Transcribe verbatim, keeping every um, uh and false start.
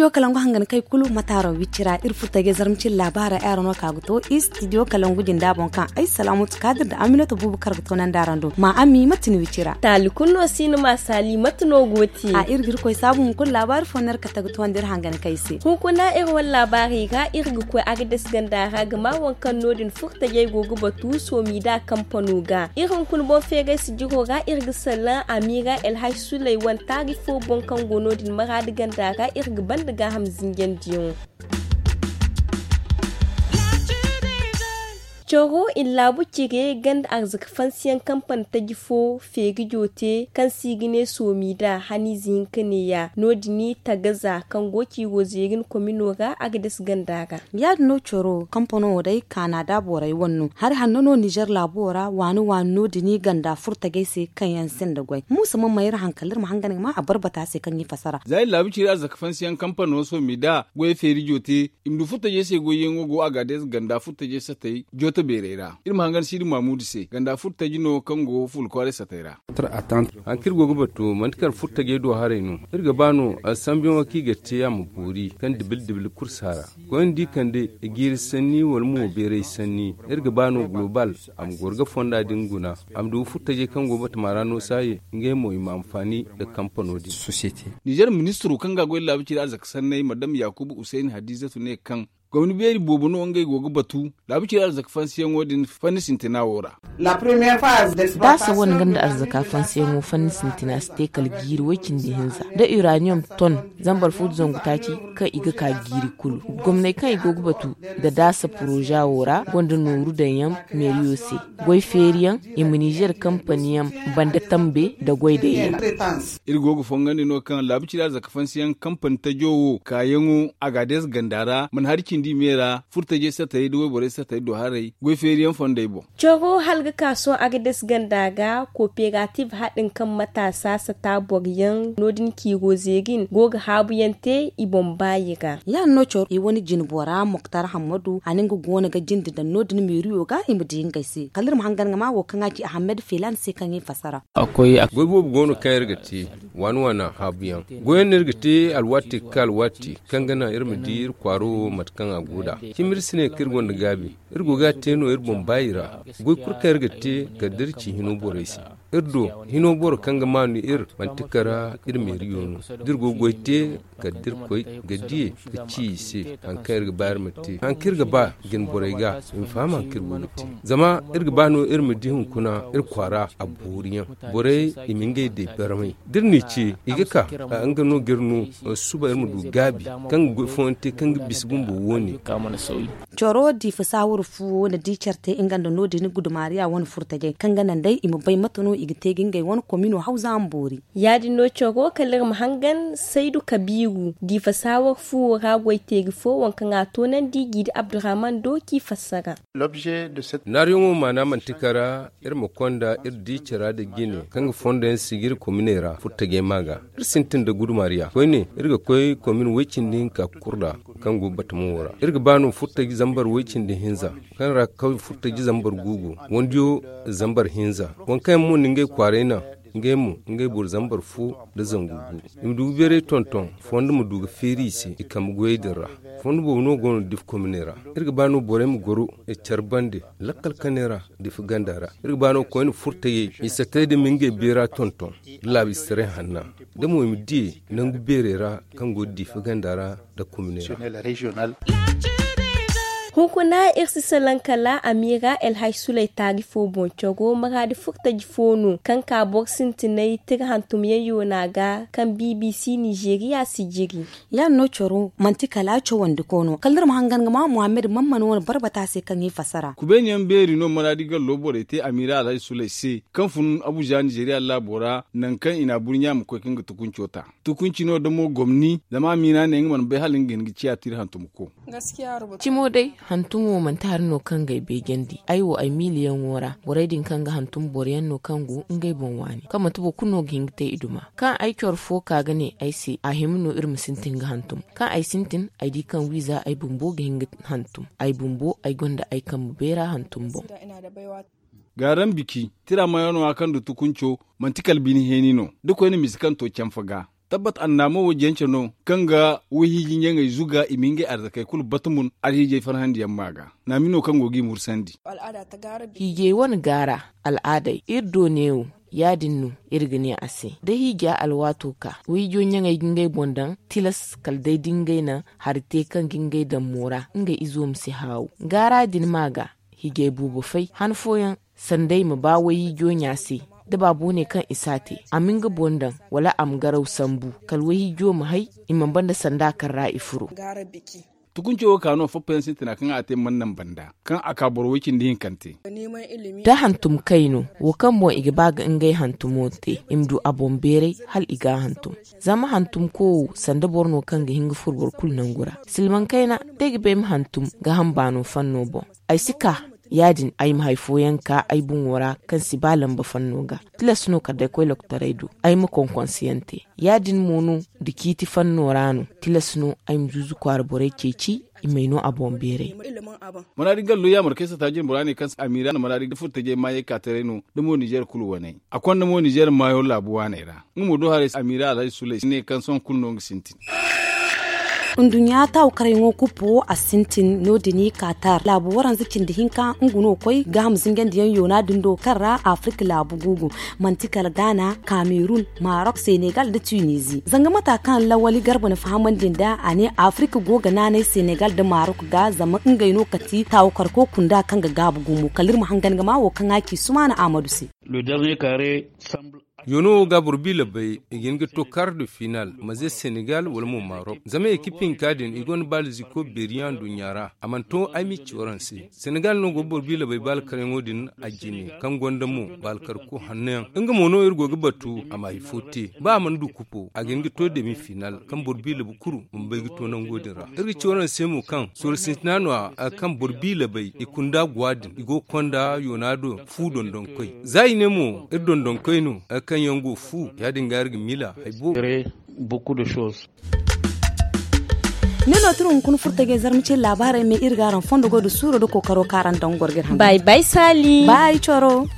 Studio kalangu hangan kay kulu mataaro wicira iri furtajey zarma cine laabaara ay araŋ no ka ga to. Studio kalangu jinda boŋ kaŋ ay salaamatu kaadir nda aminata buubu kar ga to nanda araŋ do ma ami mate ni wicira. Taali kulu no si ni ma saali mate no go te a iri ga iri koy saabu hunkuna laabaari fo no iri kate ga to nda iri hangan kay se. Hunkuna iri wane laabaari ga iri ga koy agades ganda ra ga ma waŋ kaŋ no- din furtajey go ga batu soomi da kampano ga iri hunkuna boŋ feeray sijiro ra iri ga salaŋ amiira elhaj suley wane taari fo boŋ kaŋ go no- din maraadi ganda ra iri ga banda gaaham zinjandiyaŋo. Coro i na laabu cire ganda arzaka fansiyaŋ kampani taji fo feeri jote kaŋ se i ga ne soomi da haniize hinka neeya no- din tagaza kaŋ go ciiro zeerin komino ra agades ganda ra. Ya- din no coro kampano wo day kaana da borey wane no hari hanno no nizer laabo ra waani waani no- din ganda furtajey se kaŋ yaŋ sinda goy muusa ma mayra hankali iri ma hangan ga ma a barbata se kaŋ i fassara. Za iri laabu cire arzaka fansiyaŋ kampano soomi da goy feeri jote i ma du furtajey se goyyaŋo go agades ganda furtajey satey jooto beerey ra iri ma hangan siidi maamudu se ganda furtaji no kaŋ go fuula kwaaray satey ra. Hari kaŋ iri go ga batu manti kala furtajey do haray no. Iri ga ba no sambuyaŋo kaŋ i ga te a ma boori kaŋ dibil dibil kursa ra. Koyne da i kande jiiri sanni wala mo beeray sanni iri ga ba no global a ma goro ga fonda din guna a ma du furtajey kaŋ go batama ra no saaye ngey mo i ma anfaani nda kampano din. Nizer ministiro kaŋ ga a goy laabu cire arzaka sanney madam yaakuba usayni hadiizatu ne kaŋ gomni beeri boobo no ngey go ga batu laabu cire arzaka fansiyaŋo din fanni sintina wo ra. Daasa wane ganda arzaka fansiyaŋo fanni sintina si te kala jiiri way-cindi hinza nda uraniyom ton zambar fu nda zangu taaci kaŋ i ga ka jiiri kulu. Gomney kaŋ i go ga batu nda daasa poroza wo ra gonda nooru daŋ yaŋ meeriyo se goy feeriyaŋ i ma nizer kampaniyaŋ banda tambe nda goy daŋ yaŋ. Iri go ga fongandi no kaŋ laabu cire arzaka fansiyaŋ kampani tajo wo kaayaŋo agades ganda ra mana hari cindi me ra furtajey satayey nda wayborey satayey do haray goy feeriyaŋ fondey boŋ. Coro hala ga ka sohõ agades ganda ga kooperative haɗin kaŋ mataasa sata boro yaŋ no- din ciiro zeerin go ga haabuyaŋ te i boŋ baayi ra. Ya- din no coro i wane jine bora moktar hammadu a na nga goono ga jinde daŋ no- din meeriyo ga i ma di ngey se kala iri ma hangan ga ma wo kaŋ a ci ahamed feelaani se kaŋ i fassara. Goy boobo go no kaŋ iri ga te waani waani haabuyaŋ goyaŋ no iri ga te alwaati ga ka alwaati kaŋ ga naŋ iri ma di iri kwaaro wo mate kaŋ a go nd'a. Cimi iri si ne kaŋ iri gonda gaabi iri go ga a te no iri boŋ baayi ra. Goy kulu kaŋ iri ga te kala da iri ci hino borey se iri do hino boro kaŋ ga maanu iri manti kara iri meeriyo no da iri go ga goy te kala da iri koy ga diye ga ci i se hari kaŋ iri ga ba iri ma te hari kaŋ iri ga ba jine borey ga i ma faham hari kaŋ iri go ga te. Zama iri ga ba no iri ma di hunkuna iri kwaara a booriyaŋ borey i ma ngey day barmay da iri n'i ce i ga ka nga no ga iri no suba iri ma du gaabi kaŋ ga goy fooyaŋ te kaŋ ga bisa bumbo wo-ne. Coro diifa saawar fu wo na di care te nga nda no- din gudumaariya wane furtajey kaŋ ga naŋ day i ma bay mate no i ga te ga ngey wane komino hawza ma boori. Ya- din no coro kala iri ma hangan saydu kabiiru diifa saawar fu wo ra goy teeri fo waŋ kaŋ a toonandi jiidi abdurrahman do k'i fassara. Naariyaŋo maana manti kara iri ma konda iri di cara nda jine kaŋ ga fondo yaŋ sijiri kominey ra furtajey ma ga iri sintin nda gudumaariya koyne iri ga koy komin way-cindi hinka kurra kaŋ go batamo wo ra iri ga ba no furtaji zambar way-cindi hinza kaŋ ra kawye furtaji zambar gu go wandiyo zambar hinza waŋ kaŋ yaŋ mo na ngey kwaaray naŋ ngey mo ngey boro zambar fo nda zangu gu i ma du ga beeray tonton fondo ma du ga feeri i se i kambe goyey din ra. Fondo boobo no go no difa kominey ra iri ga ba no borey ma goro care bande lakkal kaney ra difa ganda ra iri ga ba no koyne furtayey i satay din ma ngey beera tonton da laabistaray hanna da mo i ma diye nangu beerey ra kaŋ go difa ganda ra nda kominey ra. Hunkuna iri si salaŋ kala amiira elhaj suley taari fo boŋ coro maraadi furtaji fo no kaŋ ka boro sintinay tira hantumyaŋ yoona ga kaŋ bbc nizeeriya si jiri. Ya- din no coro manti kala cawandi ko no kala iri ma hangan ga ma muhammad mamman wane barbata se kaŋ i fassara. Kubeeniyaŋ beeri no maraadi gallo borey te amiira alhaji suley se kaŋ fun abuja nizeeriya laabo ra nangu kaŋ i na a burɲa ma koy kaŋ ga tukunco ta tukunci no damo gomni zama a miina ne nga mana bay hala nga ga hin ga ciya tira hantum ko. Cimo day hantumo manti hari no kaŋ ga ay beejandi ay wo ay miiliyaŋo ra borey din kaŋ ga hantum boro yaŋ no kaŋ go ngey boŋ waani kaŋ manti boro kulu no ga hin ga te i duma kaŋ ay coro fo ka ga ne ay se a hima no iri ma sintin ga hantum kaŋ ay sintin ay di kaŋ wiiza ay bumbo ga hin ga hantum ay bumbo ay gonda ay kambe beera hantum boŋ. Gaaran biki tira mayaŋo a kaŋ du tukunco manti kala bine heeni no da koyne misi kaŋ to canfa ga. Tabbat annaamo wo jance no, kaŋ ga wayhiiji ɲaŋey zuga i ma ngey arzakey kulu bata mun alhiijey farhandi yaŋ ma ga. Naami no kaŋ go g'i mursandi. Hiijey wane gaara al'aadey iri do neewo. Ya-din no iri ga ne a se da hiija alwaato ka wayhiijo ɲaŋey ga ngey boŋ daŋ, tilas kala day da ngey na hari te kaŋ ga ngey daŋ moora ngey izo ma si haawu. Gaara din ma ga hiijey boobo fay han fooyaŋ, sanda i ma ba wayhiijo ɲa se da baabo ne kaŋ i si a te, a ma nga boŋ daŋ wala a ma garaw sambu, kala wayhiijo ma hay i mana banda sanda kaŋ ra i furo. Tukunco wo ka no foppa yaŋ sintina kaŋ a te mana naŋ banda kaŋ a ka boro way cindi hinkante. Da hantum kay no wo kaŋ boŋ i ga ba ga ngey hantumo te, i ma du a boŋ beeray hala i ga a hantum. Zama hantumko wo sanda boro no kaŋ ga hin ga furo boro kulu nangu ra. Silmaŋ kayna, da ay ga ba ay ma hantum gaaham baano fanno boŋ, ay si ka. Ya-din ay ma hari fooyaŋ ka ay boŋo ra kaŋ si ba lamba fanno ga. Tilas no kala day koy lokotaray do ay ma konkonsiyaŋ te. Ya-din mo no da ciiti fanno ra no, tilas no ay ma zuuzu kwaara borey ceeci. I m'ay no a boŋ beeray. Maraadi gallo yaamar kaŋ ay sata jine bora ne kaŋ amiira na maraadi furtajey maayey ka taray no da mo nizeer kulu wane. A konda mo nizeer maayo laabu waaney ra. Nga mo do haray amiira alhaji sulay ne kaŋ sohõ kulu no nga sintin. Nduɲɲa taawu karyaŋo kuppo a sintin no- din i kaatar laabu waranza cindi hinka nga no koy gaaham zinjandiyaŋ yoona din do kaŋ ra afirka laabu guugu. Manti kala gaana, kamerun, marok, senegal nda tunizi. Zanga mata kaŋ lawali garba na fahamandi nd'a a ne afirka go ga naanay senegal nda marok ga zama ngey no kati taawu karko kunda kaŋ ga gaabu gumo kala iri ma hangan ga ma wo kaŋ a ci sumaana ahmadu se. Yoono wo ga boro bi labay i ga hin ga to kar de final ma ze senegal wala mo marok zama ekip hinka din i gonda baalziko beeriyaŋ nduɲɲa ra. A mana to ay m'i ci waraŋ se. Senegal no go boro bi labay baala karyaŋo din a jine kaŋ gonda mo baala karko hanno yaŋ. Nga mo no iri go ga batu a ma hari fo te ba a mana du kupo a ga hin ga to demi final kaŋ boro bi labu kuru ma bay ga to nango din ra. Iri ga ci waraŋ se mo kaŋ sooro sintina no- ya kaŋ boro bi labay i kunda guwa din i go ga konda yoona do fu dondonkoy za i ne mo iri dondonkoy no kaŋ yaŋ go fu ya- din ga iri ga miila hari boobo. Ni no tira hunkuna furtajey zarma ce laabaarey me iri ga araŋ fondo goy da suuro da kookaro kaŋ araŋ daŋ goro ga iri hã bay bay saali bay coro.